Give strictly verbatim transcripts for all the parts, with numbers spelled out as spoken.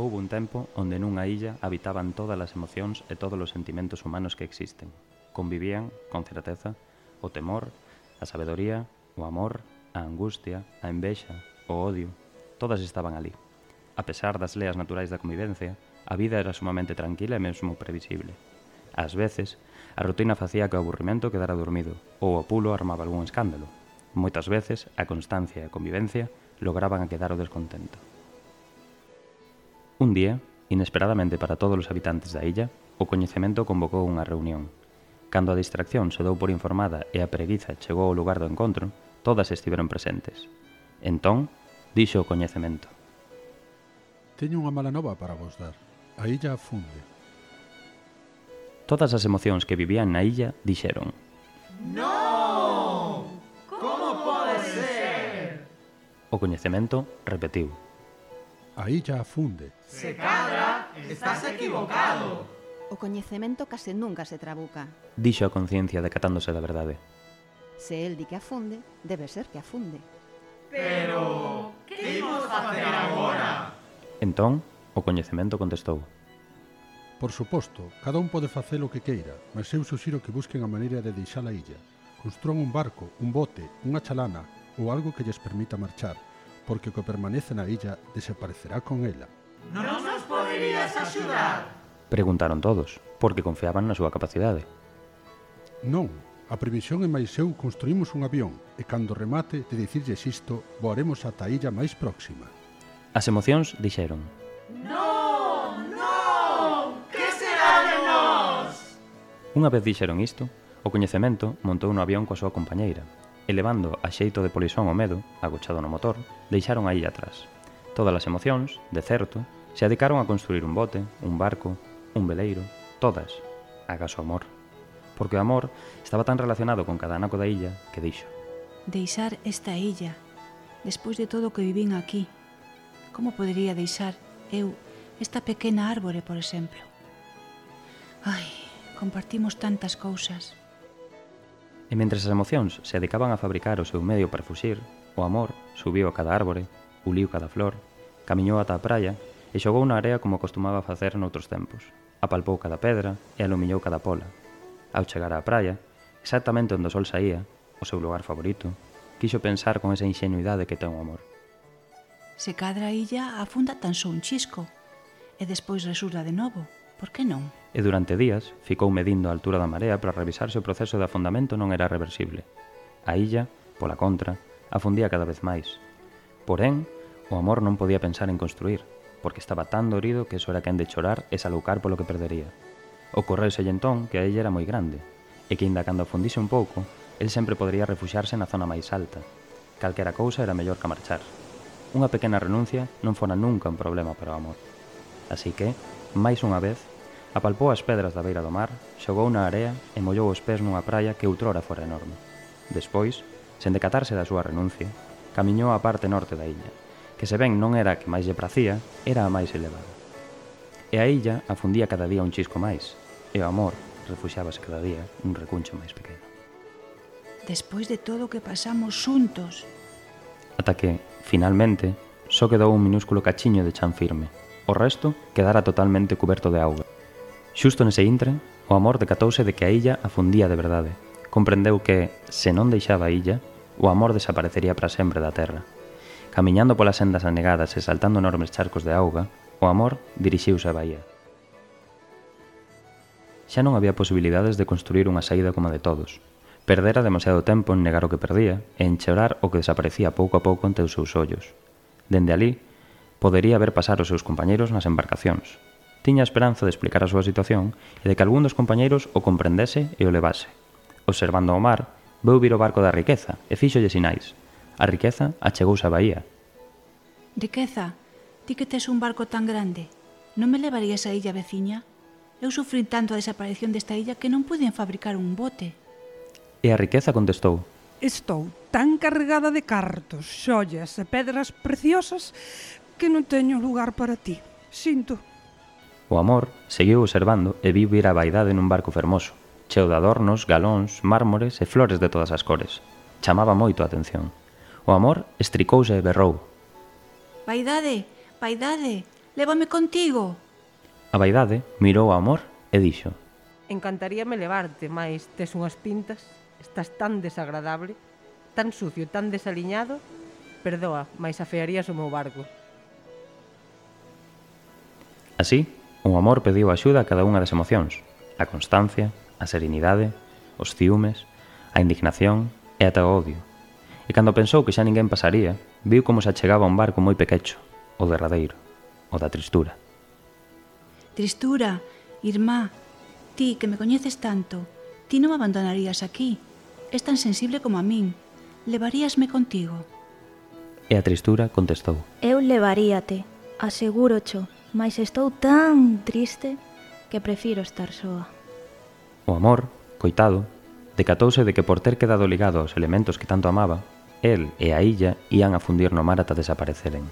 Houbo un tempo onde nunha illa habitaban todas as emocións e todos os sentimentos humanos que existen. Convivían, con certeza, o temor, a sabedoría, o amor, a angustia, a envexa, o odio. Todas estaban ali. A pesar das leas naturais da convivencia, a vida era sumamente tranquila e mesmo previsible. Ás veces, a rutina facía que o aburrimento quedara dormido, ou o pulo armaba algún escándalo. Moitas veces, a constancia e a convivencia lograban a quedar o descontento. Un día, inesperadamente para todos os habitantes da illa, o coñecemento convocou unha reunión. Cando a distracción se dou por informada e a preguiza chegou ao lugar do encontro, todas estiveron presentes. Entón, dixo o coñecemento: Teño unha mala nova para vos dar. A illa afunde. Todas as emocións que vivían na illa dixeron: Non! Como pode ser? O coñecemento repetiu: A illa afunde. Se cadra, estás equivocado. O coñecemento case nunca se trabuca. Dixo a conciencia decatándose da verdade. Se el di que afunde, debe ser que afunde. Pero, que imos facer agora? Entón, o coñecemento contestou: Por suposto, cada un pode facer o que queira, mas eu suxiro que busquen a maneira de deixar a illa. Construan un barco, un bote, unha chalana ou algo que lles permita marchar, porque o que permanece na illa desaparecerá con ela. Non nos poderías axudar? Preguntaron todos, porque confiaban na súa capacidade. Non, a previsión é máis eu construímos un avión e cando remate de dicirlles isto, voaremos ata a illa máis próxima. As emocións dixeron: Non, non, que será de nós? Unha vez dixeron isto, o coñecemento montou no avión coa súa compañeira, e levando a xeito de polisón o medo, agochado no motor, deixaron a illa atrás. Todas as emocións, de certo, se adicaron a construir un bote, un barco, un veleiro, todas, agás o amor. Porque o amor estaba tan relacionado con cada anaco da illa que dixo: Deixar esta illa, despois de todo o que vivín aquí. Como podería deixar eu esta pequena árbore, por exemplo? Ai, compartimos tantas cousas. E mentres as emocións se dedicaban a fabricar o seu medio para fuxir, o amor subiu a cada árbore, uliu cada flor, camiñou ata a praia e xogou na area como acostumaba a facer noutros tempos. Apalpou cada pedra e alumiñou cada pola. Ao chegar á praia, exactamente onde o sol saía, o seu lugar favorito, quixo pensar con esa ingenuidade que ten o amor. Se cadra a illa afunda tan só un chisco e despois resurda de novo, por que non? E durante días ficou medindo a altura da marea para revisar se o proceso de afundamento non era reversible. A illa, pola contra, afundía cada vez máis. Porén, o amor non podía pensar en construir, porque estaba tan dorido que eso era quen de chorar e saloucar polo que perdería. Ocorreuselle entón que a illa era moi grande, e que inda cando afundise un pouco, el sempre podería refuxiarse na zona máis alta. Calquera cousa era mellor que marchar. Unha pequena renuncia non fora nunca un problema para o amor. Así que, máis unha vez, apalpou as pedras da beira do mar, xogou na area e mollou os pés nunha praia que outrora fora enorme. Despois, sen decatarse da súa renuncia, camiñou á parte norte da illa, que se ben non era a que máis lle pracía, era a máis elevada. E a illa afundía cada día un chisco máis, e o amor refuxiábase cada día un recuncho máis pequeno. Despois de todo o que pasamos xuntos. Ata que, finalmente, só quedou un minúsculo cachiño de chan firme. O resto quedara totalmente cuberto de auga. Xusto nese intre, o amor decatouse de que a illa afundía de verdade. Comprendeu que, se non deixaba a illa, o amor desaparecería para sempre da terra. Camiñando polas sendas anegadas e saltando enormes charcos de auga, o amor dirixiuse á baía. Xa non había posibilidades de construir unha saída como a de todos. Perdera demasiado tempo en negar o que perdía e en chorar o que desaparecía pouco a pouco ante os seus ollos. Dende alí, podería ver pasar os seus compañeiros nas embarcacións. Tiña a esperanza de explicar a súa situación e de que algún dos compañeiros o comprendese e o levase. Observando o mar, veu vir o barco da riqueza e fíxolle sinais. A riqueza achegouse á baía. Riqueza, ti que tes un barco tan grande, non me levarías á illa veciña? Eu sufrín tanto a desaparición desta illa que non puiden fabricar un bote. E a riqueza contestou: Estou tan carregada de cartos, xollas e pedras preciosas que non teño lugar para ti. Sinto. O amor seguiu observando e viu vir a vaidade nun barco fermoso, cheo de adornos, galóns, mármores e flores de todas as cores. Chamaba moito a atención. O amor estricouse e berrou: Vaidade, vaidade, Lévame contigo. A vaidade mirou ao Amor e dixo: Encantaríame levarte, mais tes unhas pintas, estás tan desagradable, tan sucio, tan desaliñado, perdoa, mais afearías o meu barco. Así, o Amor pediu axuda a cada unha das emocións: a constancia, a serenidade, os ciúmes, a indignación e ata o odio. E cando pensou que xa ninguén pasaría, viu como se achegaba un barco moi pequecho, o derradeiro, o da tristura. Tristura, irmá, ti que me coñeces tanto, ti non me abandonarías aquí. Es tan sensible como a min. Levaríasme contigo. E a tristura contestou: Eu levaríate, asegúrocho, mas estou tan triste que prefiro estar soa. O Amor, coitado, decatouse de que por ter quedado ligado aos elementos que tanto amaba, el e a illa ían a fundir no mar ata desapareceren.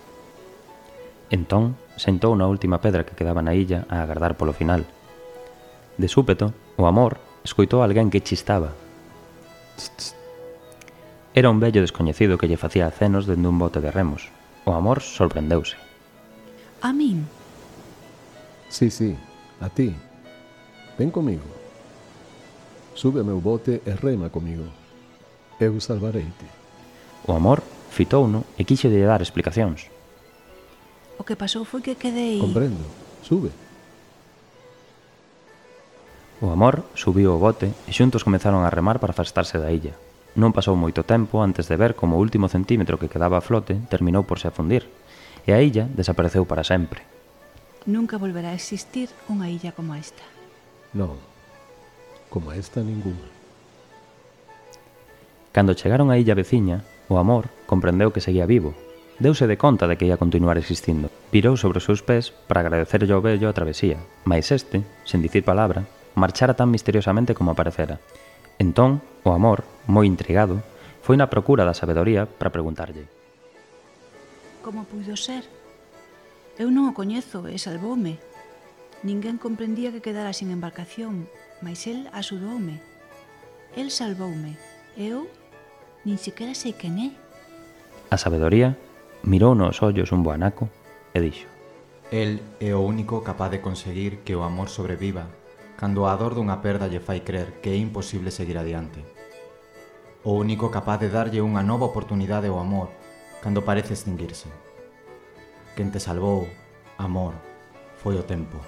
Entón, sentou na última pedra que quedaba na illa a agardar polo final. De súpeto, o Amor escoitou a alguén que chistaba. Era un vello descoñecido que lle facía acenos dende un bote de remos. O Amor sorprendeuse. A min? Sí, sí, a ti. Ven comigo. Sube ao meu bote e rema comigo. Eu salvareite. O Amor fitouno e quixo de dar explicacións. O que pasou foi que quedei... Comprendo. Sube. O Amor subiu ao bote e xuntos comezaron a remar para afastarse da illa. Non pasou moito tempo antes de ver como o último centímetro que quedaba a flote terminou por se afundir e a illa desapareceu para sempre. Nunca volverá a existir unha illa como esta. Non, como esta ninguna. Cando chegaron á illa veciña, o Amor comprendeu que seguía vivo. Deuse de conta de que ia continuar existindo. Pirou sobre os seus pés para agradecerlle ao vello a travesía, mais este, sen dicir palabra, marchara tan misteriosamente como aparecera. Entón, o Amor, moi intrigado, foi na procura da sabedoría para preguntarlle: Como puido ser? Eu non o coñezo e salvoume. Ninguén comprendía que quedara sin embarcación, mais el axudoume. El salvoume. Eu nin sequera sei quen é. A sabedoría mirou nos ollos un boanaco e dixo: El é o único capaz de conseguir que o amor sobreviva cando a dor dunha perda lle fai crer que é imposible seguir adiante. O único capaz de darlle unha nova oportunidade ao amor cando parece extinguirse. Quen te salvou, amor, foi o tempo.